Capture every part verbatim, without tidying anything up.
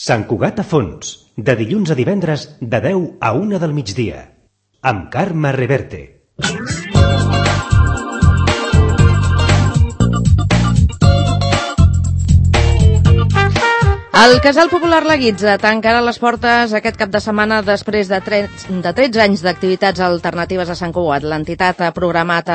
Sant Cugat a fons, de dilluns a divendres de deu a una del migdia, amb Carme Reverte. El Casal Popular La Guitza tancarà les portes aquest cap de setmana després de tretze anys d'activitats alternatives a Sant Cugat. L'entitat ha programat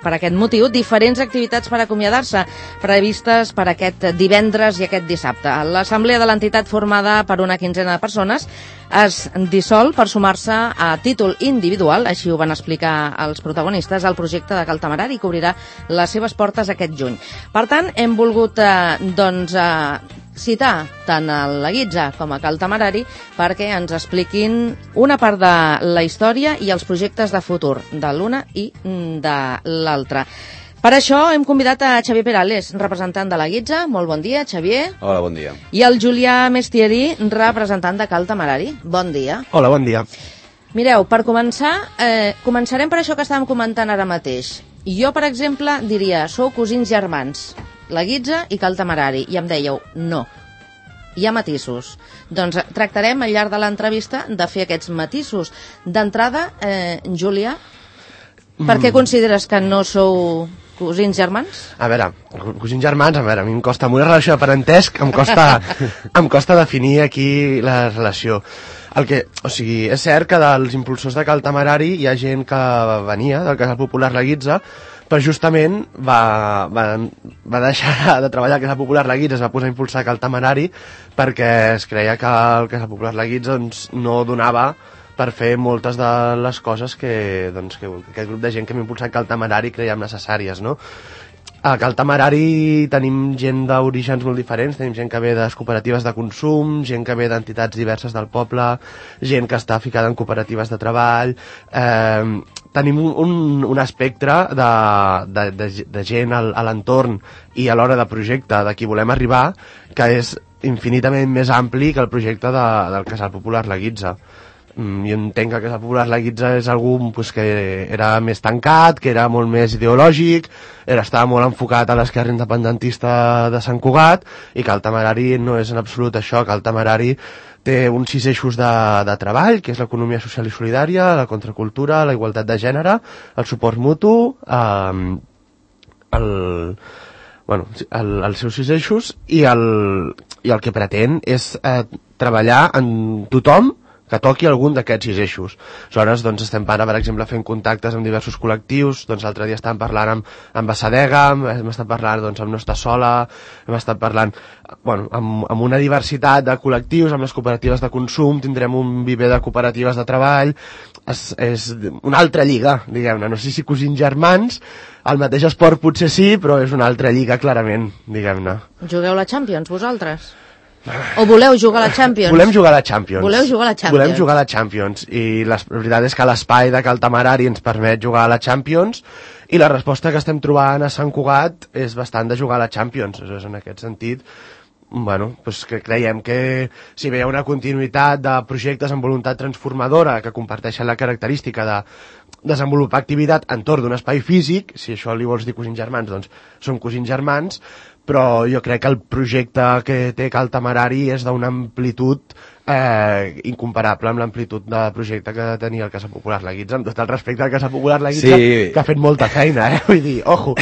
per aquest motiu diferents activitats per acomiadar-se, previstes per aquest divendres i aquest dissabte. L'assemblea de l'entitat, formada per una quinzena de persones, es dissol per sumar-se a títol individual, així ho van explicar els protagonistes, al projecte de Cal Temerari, que obrirà les seves portes aquest juny. Per tant, hem volgut eh, doncs, eh, citar tant a La Guitza com a Cal Temerari perquè ens expliquin una part de la història i els projectes de futur de l'una i de l'altra. Per això hem convidat a Xavier Perales, representant de La Guitza. Molt bon dia, Xavier. Hola, bon dia. I el Julià Mestieri, representant de Cal Temerari. Bon dia. Hola, bon dia. Mireu, per començar, eh, començarem per això que estàvem comentant ara mateix. Jo, per exemple, diria, sou cosins germans, La Guitza i Cal Temerari, i em dèieu, no, hi ha matisos. Doncs tractarem al llarg de l'entrevista de fer aquests matisos. D'entrada, eh, Julià, per què consideres que no sou cosins germans? A veure, cosins germans, a veure, a mi em costa, amb una relació de parentesc, em costa, em costa definir aquí la relació. El que, o sigui, és cert que dels impulsors de Cal Temerari hi ha gent que venia del Casal Popular La Guitza, però justament va, va, va deixar de treballar al Casal Popular La Guitza, es va posar a impulsar Cal Temerari perquè es creia que el Casal Popular La Guitza doncs, no donava per fer moltes de les coses que, doncs, que aquest grup de gent que hem impulsat Cal Temerari creiem necessàries, no? A Cal Temerari tenim gent d'orígens molt diferents, tenim gent que ve de cooperatives de consum, gent que ve d'entitats diverses del poble, gent que està ficada en cooperatives de treball, eh, tenim un, un espectre de, de, de, de gent al, a l'entorn i a l'hora de projecte de qui volem arribar, que és infinitament més ampli que el projecte de, del Casal Popular La Guitza. Jo entenc que el Casal Popular La Guitza és algú pues, que era més tancat, que era molt més ideològic, era, estava molt enfocat a l'esquerra independentista de Sant Cugat, i que el Temerari no és en absolut això. Que el Temerari té uns sis eixos de, de treball, que és l'economia social i solidària, la contracultura, la igualtat de gènere, el suport mutu, eh, el, bueno, el, els seus sis eixos, i el, i el que pretén és eh, treballar en tothom que toqui algun d'aquests sis eixos. Aleshores, doncs, estem ara, per exemple, fent contactes amb diversos col·lectius. Doncs l'altre dia estàvem parlant amb, amb Assadega, hem estat parlant doncs, amb No Està Sola, hem estat parlant bueno, amb, amb una diversitat de col·lectius, amb les cooperatives de consum, tindrem un viver de cooperatives de treball. És, és una altra lliga, diguem-ne. No sé si cosins germans, el mateix esport potser sí, però és una altra lliga, clarament, diguem-ne. Jugueu la Champions, vosaltres? O voleu jugar a la Champions? Volem jugar a la Champions. Voleu jugar a la Champions? Volem jugar a la Champions. I la veritat és que l'espai de Cal Temerari ens permet jugar a la Champions, i la resposta que estem trobant a Sant Cugat és bastant de jugar a la Champions. És en aquest sentit, bueno, pues que creiem que si hi ha una continuïtat de projectes amb voluntat transformadora que comparteixen la característica de desenvolupar activitat entorn d'un espai físic, si això li vols dir cosins germans, doncs són cosins germans, però jo crec que el projecte que té Cal Temerari és d'una amplitud eh, incomparable amb l'amplitud de projecte que tenia el Casal Popular La Guitza, amb tot el respecte al Casal Popular La Guitza, sí, que ha fet molta feina, eh? Vull dir, ojo,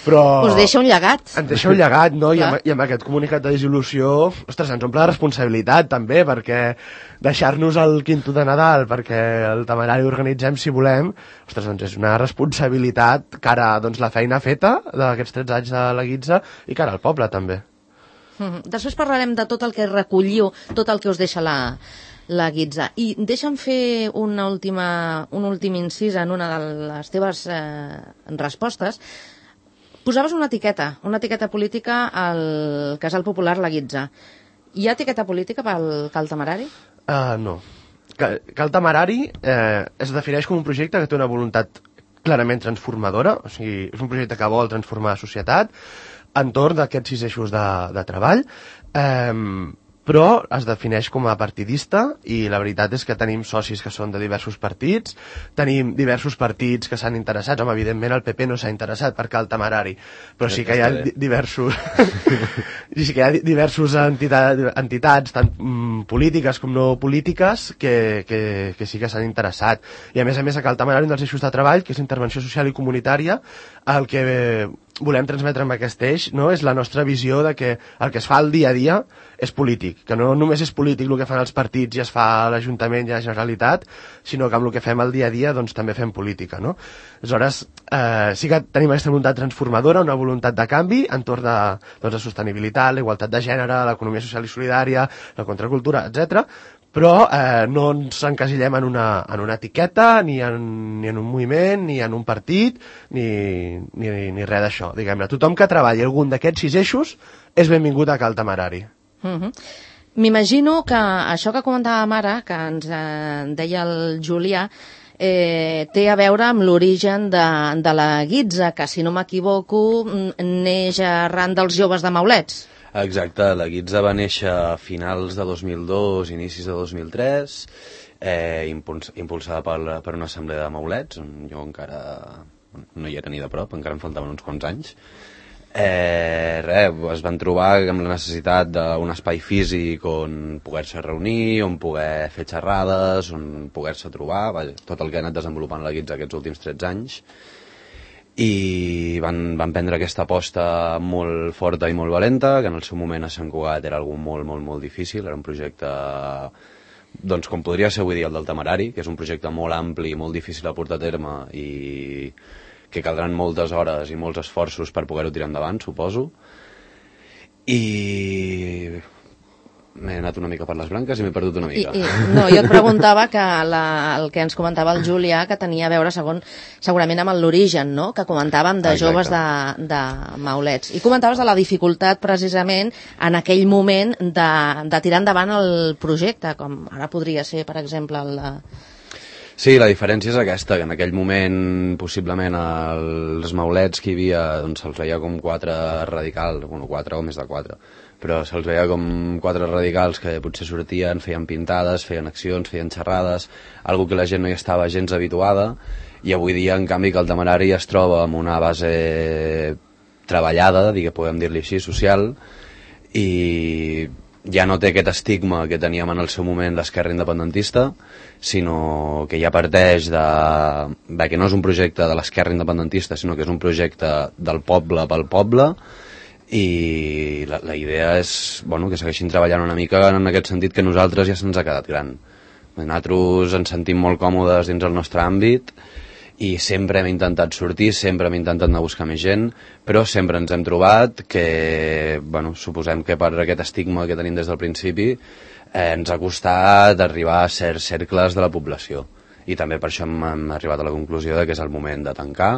però... Us deixa un llegat. Ens deixa un llegat, no? I amb, I amb aquest comunicat de dissolució, ostres, ens omple de responsabilitat, també, perquè deixar-nos el quinto de Nadal, perquè el Temerari organitzem si volem, ostres, doncs és una responsabilitat cara a doncs, la feina feta d'aquests tretze anys de La Guitza i cara al poble, també. Mm-hmm. Després parlarem de tot el que recolliu, tot el que us deixa la, la Guitza. I deixa'm fer una última, un últim incís en una de les teves eh, respostes. Posaves una etiqueta, una etiqueta política al Casal Popular La Guitza. Hi ha etiqueta política pel Cal Temerari? Uh, no. Cal Temerari eh, es defineix com un projecte que té una voluntat clarament transformadora, o sigui, és un projecte que vol transformar la societat entorn d'aquests sis eixos de, de treball, eh, però es defineix com a partidista i la veritat és que tenim socis que són de diversos partits, tenim diversos partits que s'han interessat, home, evidentment el P P no s'ha interessat per Cal Temerari, però sí que hi ha diversos i sí que hi ha diversos entitats, entitats tant mm, polítiques com no polítiques que, que, que sí que s'han interessat, i a més a més a Cal Temerari un dels eixos de treball, que és intervenció social i comunitària, el que volem transmetre amb aquest eix, no? És la nostra visió de que el que es fa al dia a dia és polític, que no només és polític el que fan els partits i es fa a l'Ajuntament i a la Generalitat, sinó que amb el que fem al dia a dia doncs també fem política, no? Aleshores, eh, sí que tenim aquesta voluntat transformadora, una voluntat de canvi entorn de doncs, la sostenibilitat, la igualtat de gènere, l'economia social i solidària, la contracultura, etcètera, però eh, no ens encasillem en una, en una etiqueta, ni en, ni en un moviment, ni en un partit, ni, ni, ni res d'això, diguem-ne. Tothom que treballi algun d'aquests sis eixos és benvingut a Cal Temerari. Uh-huh. M'imagino que això que comentàvem ara, que ens eh, deia el Julià, eh, té a veure amb l'origen de, de la guitza, que si no m'equivoco neix arran dels joves de Maulets. Exacte, la guitza va néixer a finals de dos mil dos, inicis de dos mil tres, eh, impuls impulsada per, per una assemblea de Maulets, on jo encara no hi era ni de prop, encara em faltaven uns quants anys. Eh, res, es van trobar amb la necessitat d'un espai físic on poder-se reunir, on poder fer xerrades, on poder-se trobar, vaja, tot el que ha anat desenvolupant la guitza aquests últims tretze anys. I van, van prendre aquesta aposta molt forta i molt valenta, que en el seu moment a Sant Cugat era algo molt, molt, molt difícil, era un projecte, doncs com podria ser avui dia el del Temerari, que és un projecte molt ampli i molt difícil de portar a terme i que caldran moltes hores i molts esforços per poder-ho tirar endavant, suposo. I m'he anat una mica per les branques i m'he perdut una mica. I, i, no, jo et preguntava que la, el que ens comentava el Julià, que tenia a veure segon, segurament amb l'origen, no?, que comentàvem de Exacte. Joves de, de Maulets. I comentaves de la dificultat, precisament, en aquell moment de, de tirar endavant el projecte, com ara podria ser, per exemple, el de... Sí, la diferència és aquesta, que en aquell moment possiblement els maulets que hi havia doncs se'ls veia com quatre radicals, bueno, quatre o més de quatre, però se'ls veia com quatre radicals que potser sortien, feien pintades, feien accions, feien xerrades, algo que la gent no hi estava gens habituada, i avui dia, en canvi, que el Temerari es troba amb una base treballada, diguem, podem dir-li així, social, i ja no té aquest estigma que teníem en el seu moment l'esquerra independentista, sinó que ja parteix de, de que no és un projecte de l'esquerra independentista, sinó que és un projecte del poble pel poble, i la, la idea és, bueno, que segueixin treballant una mica en aquest sentit, que nosaltres ja se'ns ha quedat gran. Nosaltres ens sentim molt còmodes dins el nostre àmbit, i sempre hem intentat sortir, sempre hem intentat anar a buscar més gent, però sempre ens hem trobat que, bueno, suposem que per aquest estigma que tenim des del principi, eh, ens ha costat arribar a certs cercles de la població. I també per això hem, hem arribat a la conclusió de que és el moment de tancar.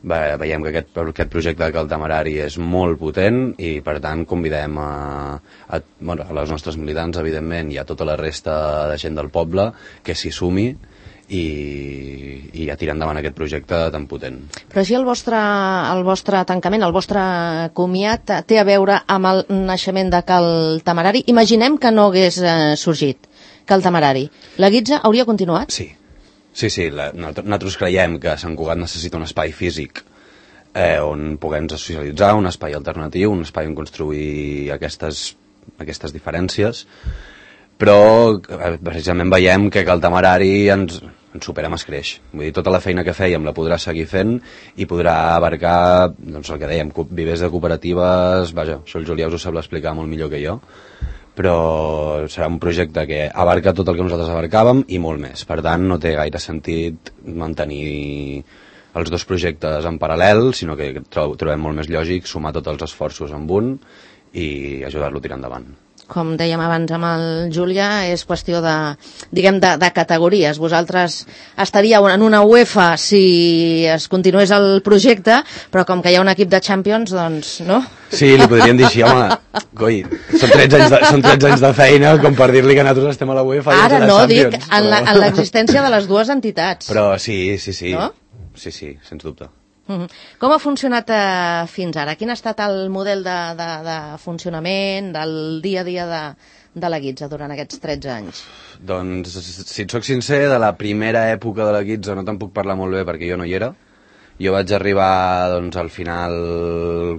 Ve, veiem que aquest, aquest projecte de Cal Temerari és molt potent i, per tant, convidem a, a, bueno, a les nostres militants, evidentment, i a tota la resta de gent del poble que s'hi sumi, i, i a tirar endavant aquest projecte tan potent. Però així el vostre, el vostre tancament, el vostre comiat té a veure amb el naixement de Cal Temerari. Imaginem que no hagués eh, sorgit Cal Temerari. La guitza hauria continuat? Sí, sí, sí. La, nosaltres creiem que Sant Cugat necessita un espai físic eh, on puguem socialitzar, un espai alternatiu, un espai on construir aquestes, aquestes diferències, però precisament veiem que Cal Temerari ens, ens supera amb escreix. Vull dir, tota la feina que fèiem la podrà seguir fent i podrà abarcar, doncs el que dèiem, vivers de cooperatives, vaja, això el Julià us ho sap explicar molt millor que jo, però serà un projecte que abarca tot el que nosaltres abarcàvem i molt més. Per tant, no té gaire sentit mantenir els dos projectes en paral·lel, sinó que trobem molt més lògic sumar tots els esforços amb un i ajudar-lo a tirar endavant. Com dèiem abans amb el Julià, és qüestió de, diguem, de, de categories. Vosaltres estaríeu en una UEFA si es continués el projecte, però com que hi ha un equip de Champions, doncs, no? Sí, li podríem dir així, home, coi, són tretze anys de, són tretze anys de feina com per dir-li que nosaltres estem a la UEFA i ara a la no, Champions. dic, en, la, en l'existència de les dues entitats. Però sí, sí, sí, no? sí, sí, sens dubte. Uh-huh. Com ha funcionat eh, fins ara? Quin ha estat el model de, de, de funcionament, del dia a dia de, de la Guitza durant aquests tretze anys? Doncs, si et soc sincer, de la primera època de la Guitza no te'n puc parlar molt bé perquè jo no hi era. Jo vaig arribar doncs, al final,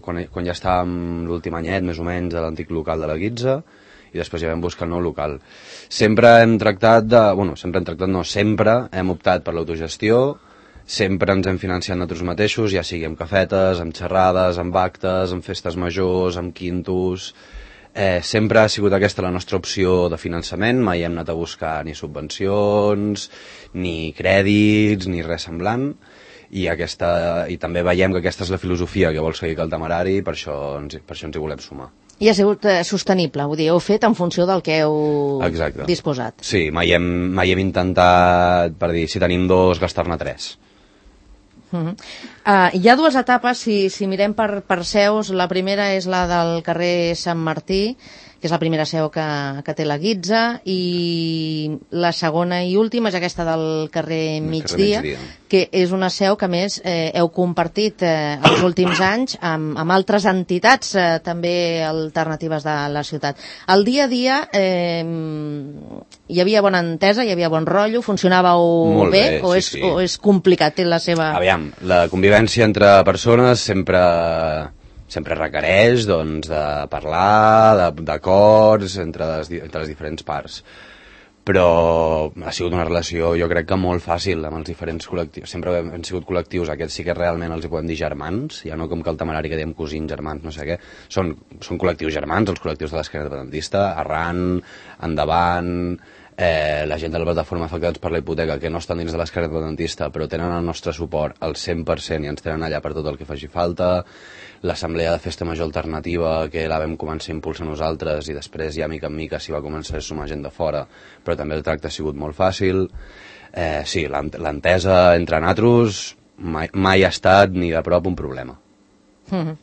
quan, quan ja estàvem l'últim anyet, més o menys, de l'antic local de la Guitza, i després ja vam buscar el nou local. Sempre hem tractat de... Bueno, sempre hem tractat, no, sempre hem optat per l'autogestió, sempre ens hem financiat nosaltres mateixos, ja sigui amb cafetes, amb xerrades, amb actes, amb festes majors, amb quintos... Eh, sempre ha sigut aquesta la nostra opció de finançament, mai hem anat a buscar ni subvencions, ni crèdits, ni res semblant, i, aquesta, i també veiem que aquesta és la filosofia que vol seguir el Temerari, per això ens, per això ens hi volem sumar. I ha sigut eh, sostenible, vull dir, heu fet en funció del que heu Exacte. disposat. Sí, mai hem, mai hem intentat, per dir, si tenim dos, gastar-ne tres. Uh -huh. uh, hi ha dues etapes, si, si mirem per, per seus. La primera és la del carrer Sant Martí, que és la primera seu que, que té la Guitza, i la segona i última és aquesta del carrer Migdia, carrer Migdia. que és una seu que, a més, eh, heu compartit eh, els últims anys amb, amb altres entitats eh, també alternatives de la ciutat. Al dia a dia eh, hi havia bona entesa, hi havia bon rotllo, funcionàveu Molt bé, bé, o, sí, és, sí. o és complicat, té la seva... Aviam, la convivència entre persones sempre... sempre requereix doncs, de parlar, d'acords entre, les, entre les diferents parts. Però ha sigut una relació, jo crec que molt fàcil amb els diferents col·lectius. Sempre hem, hem sigut col·lectius, aquests sí que realment els hi podem dir germans, ja no com que el Temerari que diem cosins, germans, no sé què. Són, són col·lectius germans, els col·lectius de l'Esquerra Independentista, Arran, Endavant... Eh, la gent de la plataforma afectats per la hipoteca que no estan dins de l'Esquerra Independentista però tenen el nostre suport al cent per cent i ens tenen allà per tot el que faci falta, l'assemblea de festa major alternativa que la vam començar a impulsar nosaltres i després ja mica en mica s'hi va començar a sumar gent de fora, però també el tracte ha sigut molt fàcil. Eh, sí, l'entesa entre nosaltres mai, mai ha estat ni de prop un problema. Mm-hmm.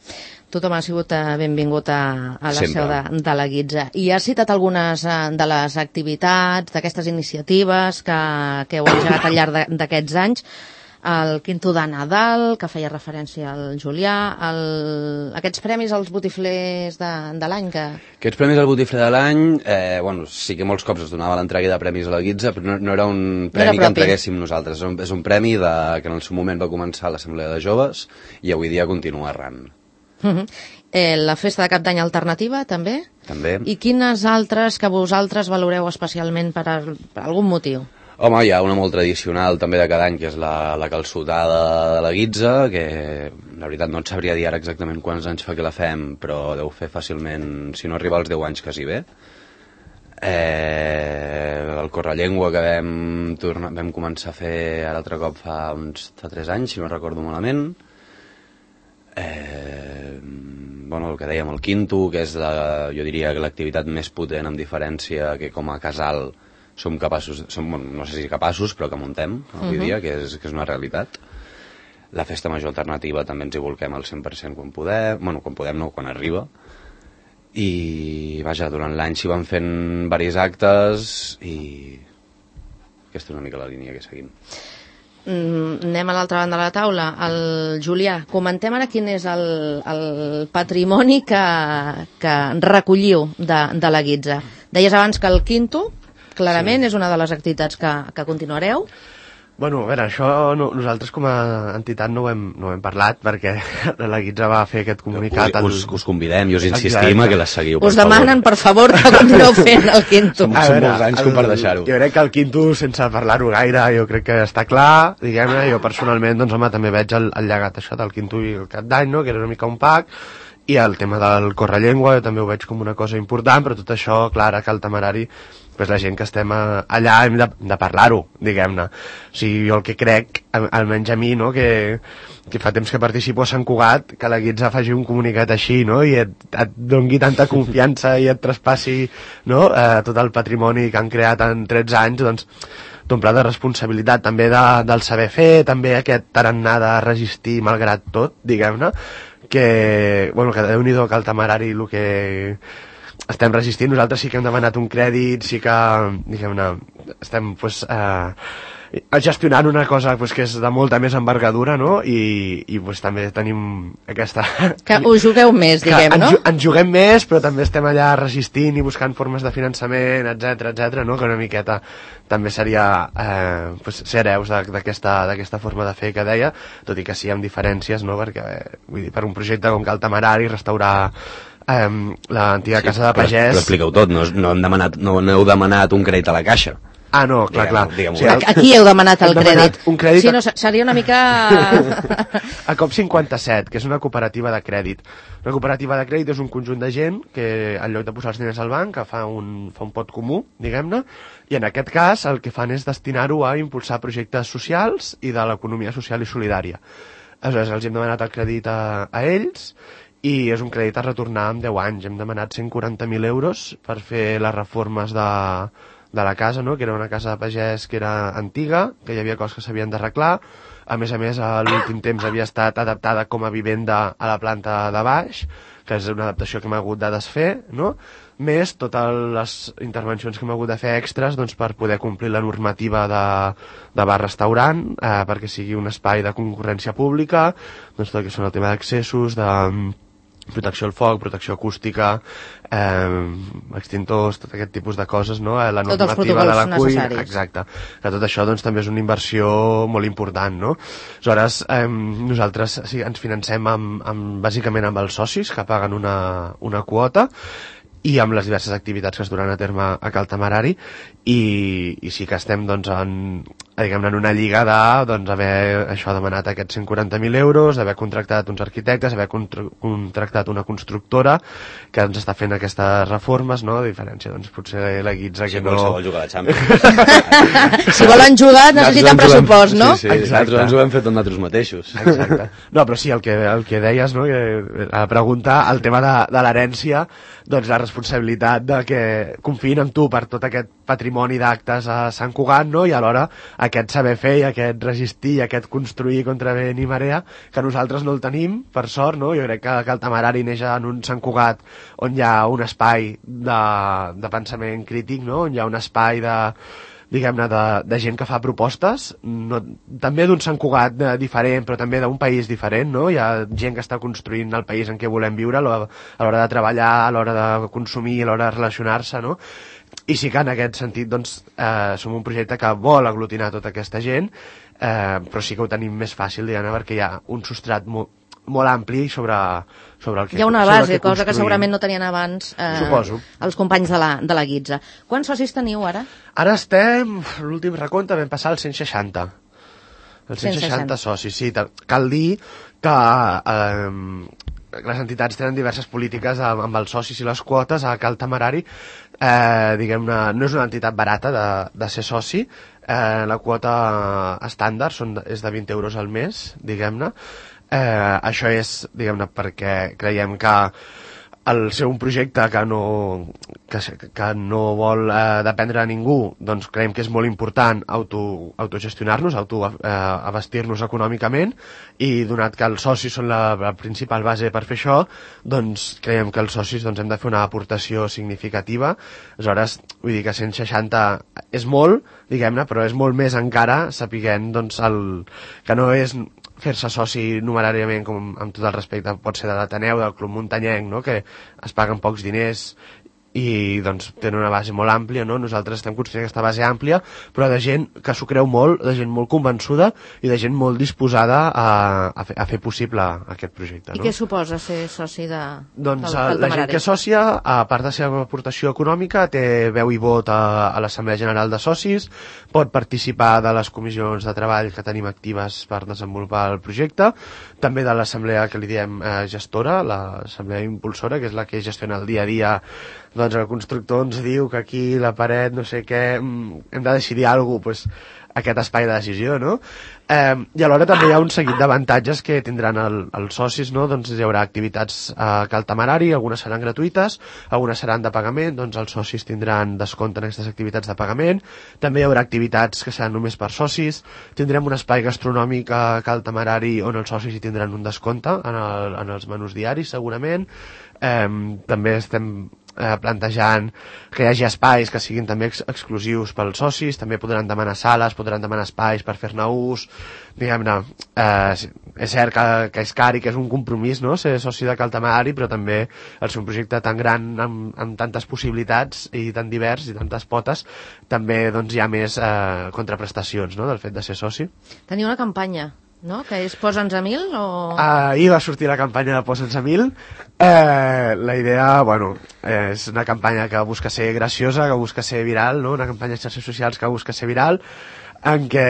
Tothom ha sigut eh, benvingut a, a la Sempre. seu de, de la Guitza. I has citat algunes eh, de les activitats, d'aquestes iniciatives que, que heu engegat al llarg d'aquests anys. El Quinto de Nadal, que feia referència al Julià, el, aquests premis als botiflers de, de l'any. Que... Aquests premis al botifler de l'any, eh, bueno, sí que molts cops es donava l'entrega de premis a la Guitza, però no, no era un premi no era que entreguéssim nosaltres. És un, és un premi de, que en el seu moment va començar a l'Assemblea de Joves i avui dia continua arran. Uh-huh. eh, la festa de cap d'any alternativa, també? També. I quines altres que vosaltres valoreu especialment per, a, per algun motiu? Home, hi ha una molt tradicional també de cada any, que és la, la calçotada de la Guitza, que la veritat no et sabria dir ara exactament quants anys fa que la fem, però deu fer fàcilment, si no arriba als deu anys quasi bé. Eh, el Correllengua que vam, tornar, vam començar a fer l'altre cop fa uns fa tres anys, si no recordo malament. Eh, bueno, el que dèiem, el Quinto, que és la, jo diria que l'activitat més potent amb diferència que com a casal som capaços, som, no sé si capaços, però que muntem avui uh-huh. dia, que és, que és una realitat. La festa major alternativa també ens hi volquem al cent per cent quan podem, bueno, quan podem no, quan arriba. I, vaja, durant l'any s'hi van fent diversos actes i aquesta és una mica la línia que seguim. Mm, anem a l'altra banda de la taula. El Julià, comentem ara quin és el, el patrimoni que, que recolliu de, de la Guitza. Deies abans que el Quinto, clarament, sí. és una de les activitats que, que continuareu. Bueno, a veure, això no, nosaltres com a entitat no ho hem, no ho hem parlat perquè la Guitza va fer aquest comunicat... Al... Us, us convidem i us insistim a que les seguiu, per us demanen, per favor, que continueu fent el Quinto. Som, som molts anys com per deixar-ho. Jo crec que el Quinto, sense parlar-ho gaire, jo crec que està clar, diguem-ne, jo personalment, doncs home, també veig el, el llegat això del Quinto i el cap d'any, no?, que era una mica un pack, i el tema del Correllengua jo també ho veig com una cosa important, però tot això, clar, que el Temerari, pues la gent que estem allà hem de, de parlar-ho, diguem-ne. O sigui, jo el que crec, almenys a mi, no?, que, que fa temps que participo a Sant Cugat, que la Guitza faci un comunicat així, no?, i et, et dongui tanta confiança i et traspassi, no?, eh, tot el patrimoni que han creat en tretze anys, doncs t'omple de responsabilitat, també de, del saber fer, també aquest tarannà de resistir malgrat tot, diguem-ne, que, bueno, que Déu-n'hi-do que el Temerari el que estem resistint, nosaltres sí que hem demanat un crèdit, sí que, diguem-ne, estem pues, eh, gestionant una cosa pues, que és de molta més envergadura, no? I, i pues, també tenim aquesta... Que us jugueu més, diguem, ens, no? Ens juguem més, però també estem allà resistint i buscant formes de finançament, etc etc, no? Que una miqueta també seria eh, pues, ser hereus d'aquesta forma de fer que deia, tot i que sí amb diferències, no? Perquè vull dir, per un projecte com Cal Temerari, restaurar eh, l'antiga sí, casa de pagès... Però, però expliqueu tot, no, no, hem demanat, no, no heu demanat un crèdit a la caixa. Ah, no, clar, diguem, clar. Diguem, o sigui, aquí heu demanat el crèdit. Un crèdit. Sí, no, seria una mica... A COP cinquanta-set, que és una cooperativa de crèdit. Una cooperativa de crèdit és un conjunt de gent que, en lloc de posar els diners al banc, que fa un, fa un pot comú, diguem-ne, i en aquest cas el que fan és destinar-ho a impulsar projectes socials i de l'economia social i solidària. Aleshores, els hem demanat el crèdit a, a ells, i és un crèdit a retornar en deu anys. Hem demanat cent quaranta mil euros per fer les reformes de... de la casa, no? Que era una casa de pagès que era antiga, que hi havia coses que s'havien d'arreglar. A més a més, a l'últim temps havia estat adaptada com a vivenda a la planta de baix, que és una adaptació que hem hagut de desfer, no? Més totes les intervencions que hem hagut de fer extras, doncs, per poder complir la normativa de, de bar-restaurant, eh, perquè sigui un espai de concurrència pública, doncs tot el que són el tema d'accessos, de protecció al foc, protecció acústica, eh, extintors, tot aquest tipus de coses, no? La normativa de la cuina, exacte. Que tot això doncs, també és una inversió molt important, no? Aleshores, eh, nosaltres sí, ens financem amb, amb, bàsicament amb els socis, que paguen una, una quota, i amb les diverses activitats que es duran a terme a Cal Temerari, i, i sí que estem doncs, en, diguem-ne, en una lliga de doncs, haver això demanat aquests cent quaranta mil euros, d'haver contractat uns arquitectes, haver contra contractat una constructora que ens està fent aquestes reformes, no? A diferència, doncs, potser la Guitza sí, que no... Si vol jugar a la Champions. Si volen jugar necessiten pressupost, no? Sí, sí, nosaltres ens ho hem fet amb nosaltres mateixos. Exacte. No, però sí, el que, el que deies, no? Que, a la pregunta, el tema de, de l'herència, doncs la responsabilitat de que confiïn en tu per tot aquest patrimoni d'actes a Sant Cugat, no? I alhora aquest saber fer i aquest resistir i aquest construir contra vent i marea, que nosaltres no el tenim, per sort, no? Jo crec que, que el Temerari neix en un Sant Cugat on hi ha un espai de, de pensament crític, no? On hi ha un espai de diguem-ne, de, de gent que fa propostes, no, també d'un Sant Cugat de, diferent, però també d'un país diferent, no? Hi ha gent que està construint el país en què volem viure a l'hora de treballar, a l'hora de consumir, a l'hora de relacionar-se, no? I sí que en aquest sentit, doncs, eh, som un projecte que vol aglutinar tota aquesta gent, eh, però sí que ho tenim més fàcil, diguem-ne, perquè hi ha un substrat molt, molt ampli sobre, sobre el que hi ha una base, que cosa que segurament no tenien abans eh, Suposo. els companys de la, de la Guitza. Quants socis teniu ara? Ara estem, l'últim recompte vam passar als cent seixanta. Els cent seixanta socis, sí. Cal dir que eh, les entitats tenen diverses polítiques amb, amb els socis i les quotes. A Cal Temerari, eh, diguem-ne, no és una entitat barata de, de ser soci. Eh, la quota estàndard són, és de vint euros al mes, diguem-ne. Eh, això és, diguem-ne, perquè creiem que el ser un projecte que no, que, que no vol eh, dependre de ningú, doncs creiem que és molt important auto, autogestionar-nos, autoabastir-nos econòmicament, i donat que els socis són la, la principal base per fer això, doncs creiem que els socis doncs, hem de fer una aportació significativa. Aleshores, vull dir que cent seixanta és molt, diguem-ne, però és molt més encara sapiguent doncs, el, que no és fer-se soci numeràriament, com amb tot el respecte pot ser de l'Ateneu, del Club Muntanyenc, no? Que es paguen pocs diners i doncs tenen una base molt àmplia, no? Nosaltres estem construint aquesta base àmplia, però de gent que s'ho creu molt, de gent molt convençuda i de gent molt disposada a, a, fer, a fer possible aquest projecte. I no? què suposa ser soci de, doncs, del, del la gent que és sòcia, a part de la seva aportació econòmica, té veu i vot a, a l'Assemblea General de Socis, pot participar de les comissions de treball que tenim actives per desenvolupar el projecte, també de l'assemblea que li diem eh, gestora, l'assemblea impulsora, que és la que gestiona el dia a dia. Doncs el constructor ens diu que aquí la paret, no sé què, hem de decidir alguna cosa, doncs aquest espai de decisió, no? Eh, I alhora també hi ha un seguit d'avantatges que tindran el, els socis, no? Doncs hi haurà activitats a Cal Temerari, algunes seran gratuïtes, algunes seran de pagament, doncs els socis tindran descompte en aquestes activitats de pagament, també hi haurà activitats que seran només per socis, tindrem un espai gastronòmic a Cal Temerari on els socis hi tindran un descompte en, el, en els menús diaris, segurament. Eh, també estem eh, plantejant que hi hagi espais que siguin també ex exclusius pels socis, també podran demanar sales, podran demanar espais per fer-ne ús, diguem-ne, eh, és cert que, que és car i que és un compromís, no?, ser soci de Cal Tamarari, però també el ser un projecte tan gran amb, amb tantes possibilitats i tan divers i tantes potes, també doncs, hi ha més eh, contraprestacions, no?, del fet de ser soci. Teniu una campanya, no?, que és Posa'ns a mil o...? Ahir va sortir la campanya de Posa'ns a mil. Eh, la idea, bueno, és una campanya que busca ser graciosa, que busca ser viral, no?, una campanya de xarxes socials que busca ser viral, en què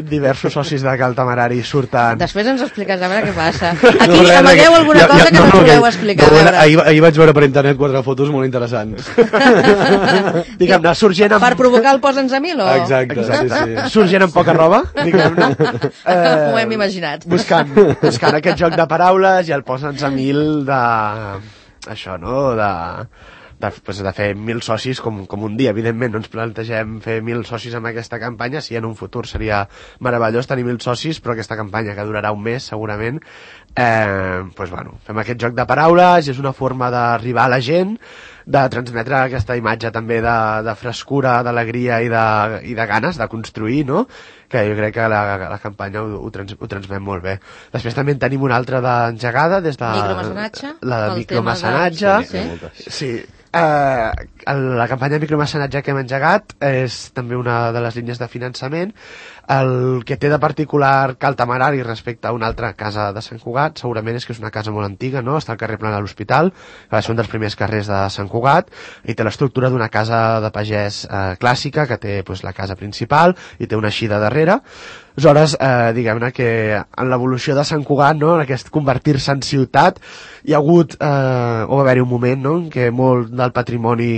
diversos socis de Cal Tamarari surten... Després ens expliques, a veure què passa. Aquí no, amagueu alguna ja, cosa ja, que no, no voleu no, explicar. No, ahir, ahir vaig veure per internet quatre fotos molt interessants. Diguem-ne, surt gent amb... Per provocar el Posa'ns a mil o...? Exacte, Exacte. sí, sí. Surt gent amb poca roba, diguem-ne. Eh, Ho hem imaginat. Buscant, buscant aquest joc de paraules i el Posa'ns a mil de... Això, no?, de... De, pues, de fer mil socis com, com un dia. Evidentment no ens plantegem fer mil socis amb aquesta campanya, si en un futur seria meravellós tenir mil socis, però aquesta campanya, que durarà un mes segurament, eh, pues, bueno, fem aquest joc de paraules i és una forma d'arribar a la gent, de transmetre aquesta imatge també de, de frescura, d'alegria i, de, i de ganes de construir, no?, que jo crec que la, la campanya ho, ho, trans, ho transmet molt bé. Després també en tenim una altra d'engegada des de... Micromecenatge. La de micromecenatge. De... Sí, sí. Uh, la campanya de micromecenatge que hem engegat és també una de les línies de finançament. El que té de particular Cal Tamarari respecte a una altra casa de Sant Cugat segurament és que és una casa molt antiga, no? Està al carrer Plana de l'Hospital, que va ser un dels primers carrers de Sant Cugat, i té l'estructura d'una casa de pagès eh, clàssica, que té pues, la casa principal i té una eixida darrere. Aleshores, eh, diguem-ne que en l'evolució de Sant Cugat, no?, en aquest convertir-se en ciutat, hi ha hagut, eh, o va haver-hi un moment, no?, en què molt del patrimoni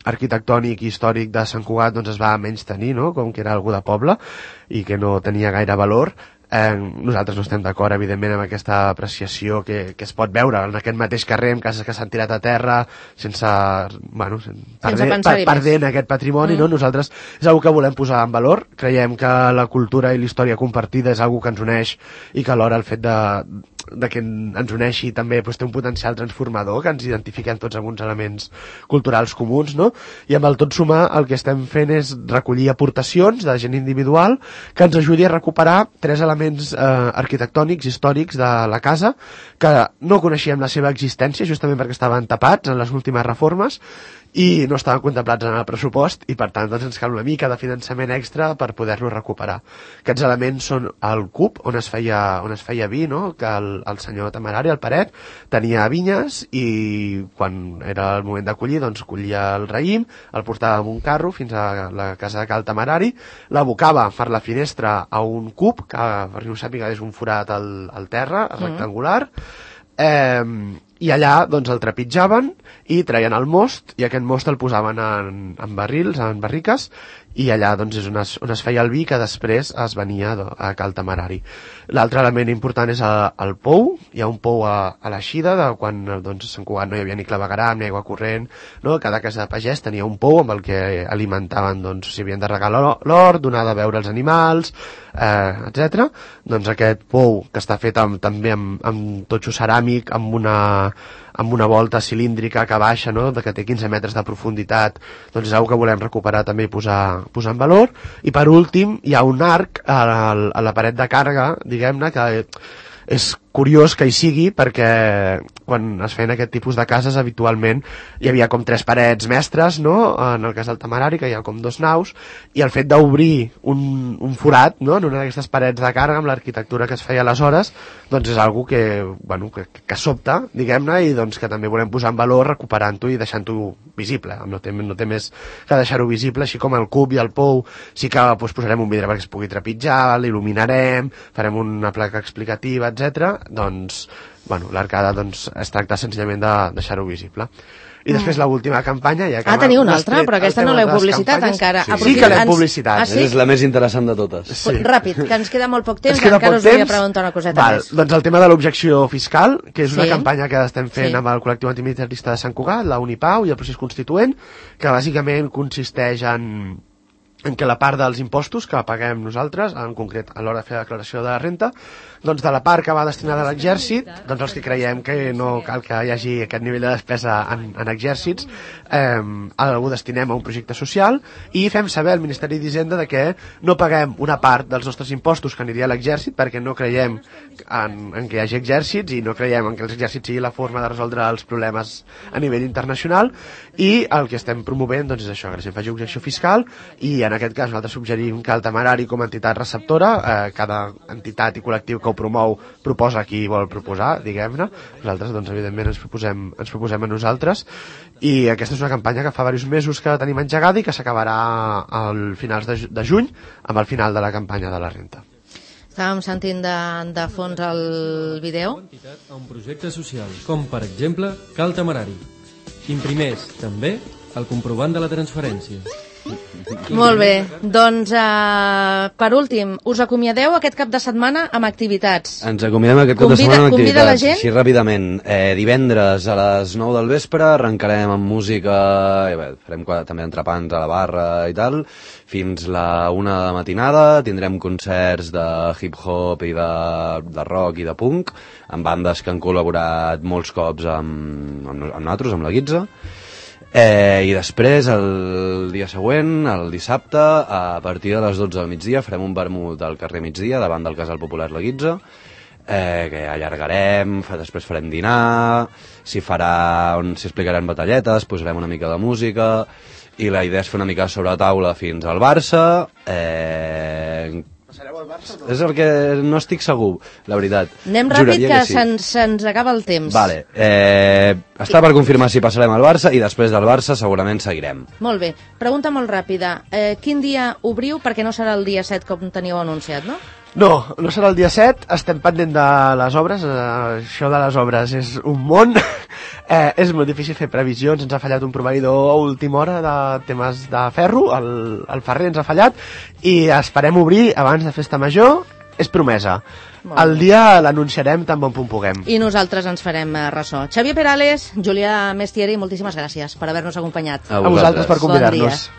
arquitectònic i històric de Sant Cugat doncs, es va menystenir, no?, com que era algú de poble i que no tenia gaire valor. Eh, nosaltres no estem d'acord, evidentment, amb aquesta apreciació que, que es pot veure en aquest mateix carrer, amb cases que s'han tirat a terra, sense, bueno, perdent, per, perdent aquest patrimoni, mm. no? Nosaltres és una que volem posar en valor, creiem que la cultura i la història compartida és una que ens uneix i que alhora el fet de, de que ens uneixi també pues, té un potencial transformador, que ens identifiquem tots amb uns elements culturals comuns, no? I amb el tot sumar el que estem fent és recollir aportacions de gent individual que ens ajudi a recuperar tres elements elements eh, arquitectònics, històrics de la casa, que no coneixíem la seva existència, justament perquè estaven tapats en les últimes reformes i no estaven contemplats en el pressupost i per tant doncs, ens cal una mica de finançament extra per poder-los recuperar. Aquests elements són el cub on es feia, on es feia vi, no? Que el, el senyor Tamarari, el Paret, tenia vinyes i quan era el moment de collir, doncs collia el raïm, el portava amb un carro fins a la casa de Cal Tamarari, l'abocava per la finestra a un cub, que per no sàpiga és un forat al, al terra, rectangular, eh, i allà doncs, el trepitjaven i traien el most i aquest most el posaven en, en barrils, en barriques i allà doncs, és on es, on es feia el vi que després es venia a Cal Tamarari. L'altre element important és el, el pou, hi ha un pou a, a l'eixida de quan doncs, a Sant Cugat no hi havia ni clavegueram ni aigua corrent, no? Cada casa de pagès tenia un pou amb el que alimentaven, doncs, si havien de regar l'hort, donar de beure als animals, eh, etcètera. Doncs aquest pou que està fet amb, també amb, amb totxo ceràmic, amb una amb una volta cilíndrica que baixa, no?, que té quinze metres de profunditat, doncs és una que volem recuperar també i posar, posar en valor. I per últim hi ha un arc a la, a la paret de càrrega, diguem-ne, que és curiós que hi sigui perquè quan es feien aquest tipus de cases habitualment hi havia com tres parets mestres, no? En el cas del Tamarari, que hi ha com dos naus, i el fet d'obrir un, un forat, no?, en una d'aquestes parets de càrrega amb l'arquitectura que es feia aleshores, doncs és algo que, bueno, que, que sobta, diguem-ne, i doncs que també volem posar en valor recuperant-ho i deixant-ho visible. No té, no té més que deixar-ho visible, així com el cub i el pou sí que doncs, posarem un vidre perquè es pugui trepitjar, l'il·luminarem, farem una placa explicativa, etcètera. Doncs, bueno, l'arcada doncs, es tracta senzillament de deixar-ho visible. I després l'última campanya... Ja ah, teniu una altra, però aquesta no l'heu publicitat encara. Sí, sí que l'hem publicitat. Ah, sí? És la més interessant de totes. Sí. Ràpid, que ens queda molt poc temps, encara us volia preguntar una coseta Val, més. Doncs el tema de l'objecció fiscal, que és una sí. campanya que estem fent sí. amb el col·lectiu antimilitarista de Sant Cugat, la Unipau i el procés constituent, que bàsicament consisteix en en què la part dels impostos que paguem nosaltres, en concret a l'hora de fer la declaració de la renta, doncs de la part que va destinada a l'exèrcit, doncs els que creiem que no cal que hi hagi aquest nivell de despesa en, en exèrcits, eh, ho destinem a un projecte social i fem saber al Ministeri d'Hisenda de que no paguem una part dels nostres impostos que aniria a l'exèrcit perquè no creiem en, en que hi hagi exèrcits i no creiem en que l'exèrcit sigui la forma de resoldre els problemes a nivell internacional, i el que estem promovent doncs, és això, que la gent faci objecció fiscal, i en aquest cas nosaltres suggerim que el Temerari com a entitat receptora, eh, cada entitat i col·lectiu que ho promou proposa qui vol proposar, diguem-ne. Nosaltres doncs evidentment ens proposem, ens proposem a nosaltres, i aquesta és una campanya que fa diversos mesos que tenim engegada i que s'acabarà al finals de, de juny amb el final de la campanya de la renta. Estàvem sentint de, de fons el vídeo. A un projecte social, com per exemple Cal Temerari. Imprimeix també el comprovant de la transferència. Molt bé, doncs eh, per últim, us acomiadeu aquest cap de setmana amb activitats. Ens acomiadem aquest cap Convida, de setmana amb convida activitats, la gent? així ràpidament. Eh, divendres a les nou del vespre arrencarem amb música, i bé, farem també entrepans a la barra i tal, fins la una de matinada. Tindrem concerts de hip-hop i de, de rock i de punk, amb bandes que han col·laborat molts cops amb, amb, amb nosaltres, amb la Guitza. Eh, I després, el dia següent, el dissabte, a partir de les dotze del migdia, farem un vermut al carrer Migdia, davant del Casal Popular La Guitza, eh, que allargarem, fa, després farem dinar, s'hi farà, on s'hi explicaran batalletes, posarem una mica de música, i la idea és fer una mica sobre la taula fins al Barça. Eh, Passareu al Barça o no? és el que no estic segur, la veritat. Anem ràpid, Juraria que, que sí. se'ns se acaba el temps. Vale, eh, està per confirmar si passarem al Barça, i després del Barça segurament seguirem. Molt bé, pregunta molt ràpida. Eh, quin dia obriu? Perquè no serà el dia set com teniu anunciat, no? No, no serà el dia set, estem pendent de les obres, eh, això de les obres és un món, eh, és molt difícil fer previsions, ens ha fallat un proveïdor a última hora de temes de ferro, el, el ferrer ens ha fallat, i esperem obrir abans de Festa Major, és promesa. El dia l'anunciarem tan bon punt puguem. I nosaltres ens farem eh, ressò. Xavier Perales, Julià Mestieri, moltíssimes gràcies per haver-nos acompanyat. A A vosaltres per Bon convidar-nos. dia.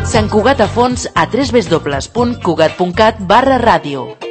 Sant Cugat a fons a w w w punt cugat punt cat barra ràdio.